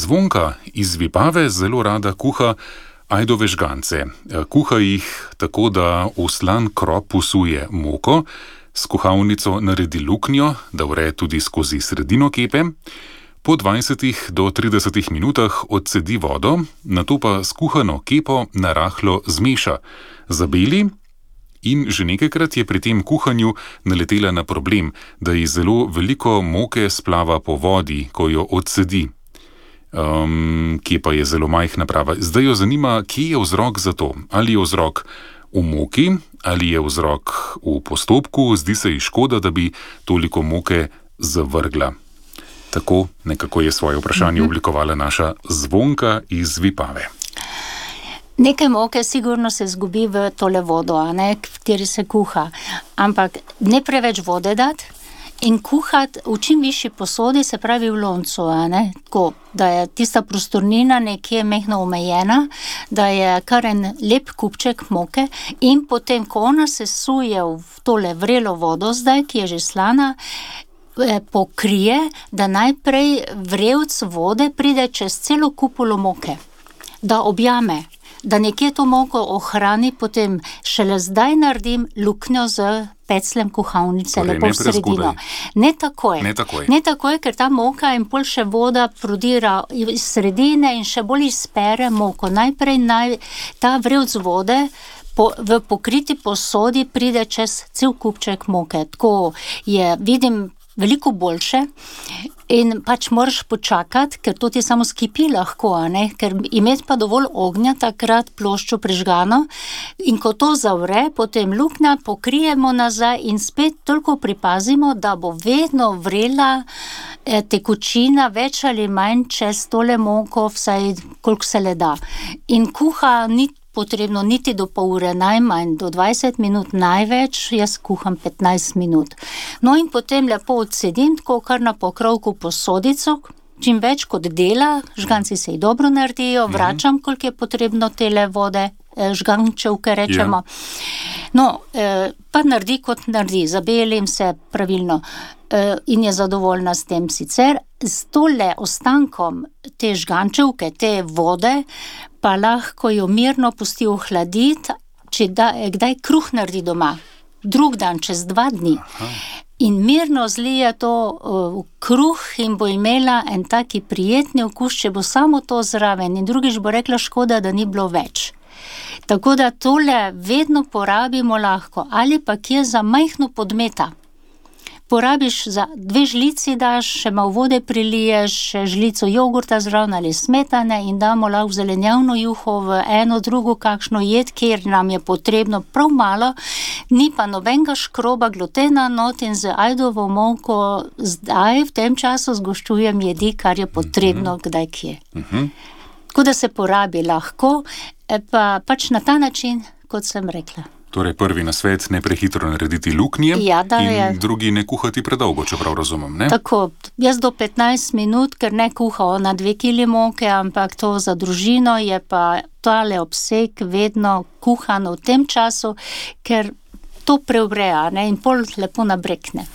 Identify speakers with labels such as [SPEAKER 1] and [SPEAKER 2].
[SPEAKER 1] Zvonka iz Vipave zelo rada kuha ajdove žgance. Kuha jih tako, da v slan krop vsuje moko, s kuhalnico naredi luknjo, da vre tudi skozi sredino kepe, po 20 do 30 minutah odcedi vodo, nato pa skuhano kepo narahlo zmeša, zabeli in že nekajkrat je pri tem kuhanju naletela na problem, da ji zelo veliko moke splava po vodi, ko jo odcedi. Kepa je zelo majhna, prava. Zdaj jo zanima, kje je vzrok za to. Ali je vzrok v moki, ali je vzrok v postopku, zdi se ji škoda, da bi toliko moke zavrgla. Tako nekako je svoje vprašanje oblikovala naša Zvonka iz Vipave.
[SPEAKER 2] Nekaj moke sigurno se zgubi v tole vodo, v kateri se kuha, ampak ne preveč vode dati in kuhati v čim višji posodi, se pravi v loncu, tako, da je tista prostornina nekje mehno omejena, da je kar en lep kupček moke in potem, ko ona se suje v tole vrelo vodo zdaj, ki je že slana, pokrije, da najprej vrelc vode pride čez celo kupulo moke, da objame, da nekje to moko ohrani, potem šele zdaj naredim luknjo z pecljem kuhalnice,
[SPEAKER 1] torej,
[SPEAKER 2] lepo v sredino. Ne takoj, ker ta moka in pol še voda prodira iz sredine in še bolj izpere moko. Najprej ta vrelc vode v pokriti posodi pride čez cel kupček moke. Tako je, vidim, veliko boljše in pač moraš počakati, ker to ti samo skipi lahko, ker imeti pa dovolj ognja takrat ploščo prižgano in ko to zavre, potem luknja pokrijemo nazaj in spet toliko pripazimo, da bo vedno vrela tekočina več ali manj čez tole moko, vsaj koliko se le da. In kuha ni potrebno niti do pol ure, najmanj do 20 minut največ, jaz kuham 15 minut. No in potem lepo odsedim, tako kar na pokrovku posodico, čim več kot dela, žganci se ji dobro naredijo, vračam, koliko je potrebno tele vode, žgančevke rečemo. No, pa naredi kot naredi, zabelim se pravilno in je zadovoljna s tem sicer. S tole ostankom te žgančevke, te vode, pa lahko jo mirno pusti ohladiti, če kdaj kruh naredi doma, drug dan, čez 2 dni. In mirno zlije to v kruh in bo imela en taki prijetni okus, če bo samo to zraven. In drugič bo rekla, škoda, da ni bilo več. Tako da tole vedno porabimo lahko. Ali pa kje za majhno podmeta. Porabiš za 2 žlici, daš, še malo vode priliješ, žlico jogurta zraven ali smetane in damo lahko zelenjavno juho v eno, drugo kakšno jed, kjer nam je potrebno prav malo, ni pa nobenega škroba glutena not in z ajdovo moko zdaj v tem času zgoščujem jedi, kar je potrebno kdaj kje. Tako da se porabi lahko, pa pač na ta način, kot sem rekla.
[SPEAKER 1] Torej, prvi nasvet, ne prehitro narediti luknje in drugi ne kuhati predolgo, čeprav razumem, ne?
[SPEAKER 2] Tako, jaz do 15 minut, ker ne kuha ona 2 kili moke, ampak to za družino je pa tale obseg vedno kuhano v tem času, ker to preuvreja, in pol lepo nabrekne.